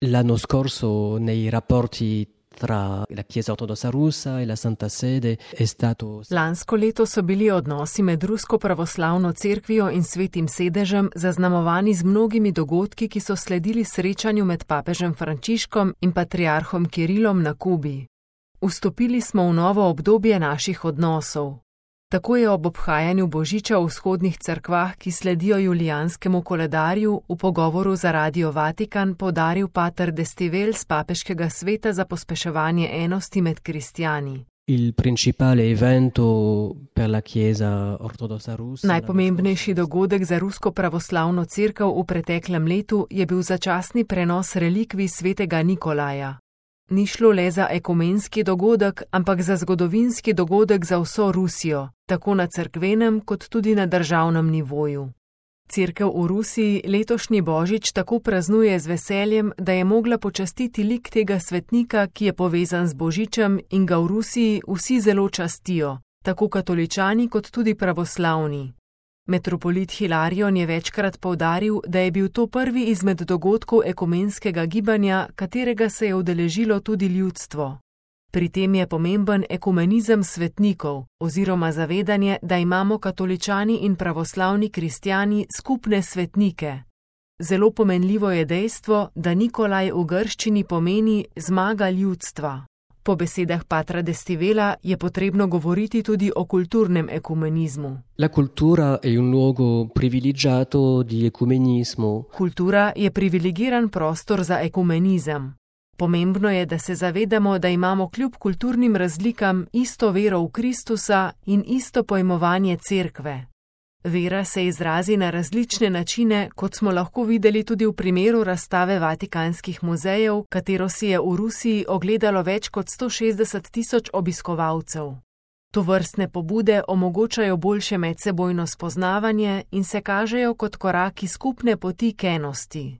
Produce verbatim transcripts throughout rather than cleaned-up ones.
L'anno scorso nei rapporti tra la Chiesa ortodossa russa e la Santa Sede è stato... Lansko leto so bili odnosi med Rusko pravoslavno cerkvijo in Svetim sedežem zaznamovani z mnogimi dogodki, ki so sledili srečanju med papežem Frančiškom in patriarhom Kirilom na Kubi. Vstopili smo v novo obdobje naših odnosov. Tako je ob obhajanju Božiča v vzhodnih cerkvah, ki sledijo julijanskemu koledarju, v pogovoru za Radio Vatikan poudaril pater Destivel z papeškega sveta za pospeševanje enosti med kristjani. Il principale evento per la Chiesa ortodossa russa. Najpomembnejši dogodek za rusko pravoslavno cerkev v preteklem letu je bil začasni prenos relikvij svetega Nikolaja. Ni šlo le za ekumenski dogodek, ampak za zgodovinski dogodek za vso Rusijo, tako na cerkvenem kot tudi na državnem nivoju. Cerkev v Rusiji letošnji Božič tako praznuje z veseljem, da je mogla počastiti lik tega svetnika, ki je povezan z Božičem in ga v Rusiji vsi zelo častijo, tako katoličani kot tudi pravoslavni. Metropolit Hilarion je večkrat poudaril, da je bil to prvi izmed dogodkov ekumenskega gibanja, katerega se je udeležilo tudi ljudstvo. Pri tem je pomemben ekumenizem svetnikov, oziroma zavedanje, da imamo katoličani in pravoslavni kristjani skupne svetnike. Zelo pomenljivo je dejstvo, da Nikolaj v grščini pomeni zmaga ljudstva. Po besedah patra Destivela je potrebno govoriti tudi o kulturnem ekumenizmu. La cultura è un luogo privilegiato di ecumenismo. Kultura je privilegiran prostor za ekumenizem. Pomembno je, da se zavedamo, da imamo kljub kulturnim razlikam isto vero v Kristusa in isto pojmovanje cerkve. Vera se izrazi na različne načine, kot smo lahko videli tudi v primeru razstave Vatikanskih muzejev, katero si je v Rusiji ogledalo več kot sto šestdeset tisoč obiskovalcev. Tovrstne pobude omogočajo boljše medsebojno spoznavanje in se kažejo kot koraki skupne poti k enosti.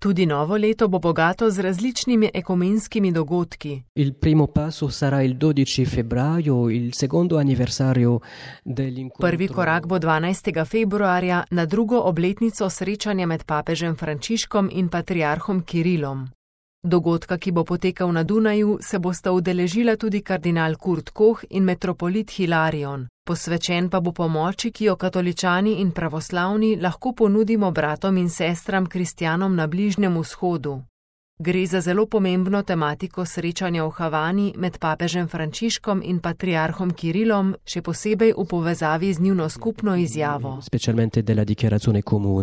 Tudi novo leto bo bogato z različnimi ekumenskimi dogodki. Il primo passo sarà il dodici febbraio, il secondo anniversario dell'incontro. Prvi korak bo dvanajstega februarja na drugo obletnico srečanja med papežem Frančiškom in patriarhom Kirilom. Dogodka, ki bo potekal na Dunaju, se bosta udeležila tudi kardinal Kurt Koch in metropolit Hilarion. Posvečen pa bo pomoči, ki jo katoličani in pravoslavni lahko ponudimo bratom in sestram kristjanom na Bližnjem vzhodu. Gre za zelo pomembno tematiko srečanja v Havani med papežem Frančiškom in patriarhom Kirilom, še posebej v povezavi z njuno skupno izjavo. Specialmente della dichiarazione comune.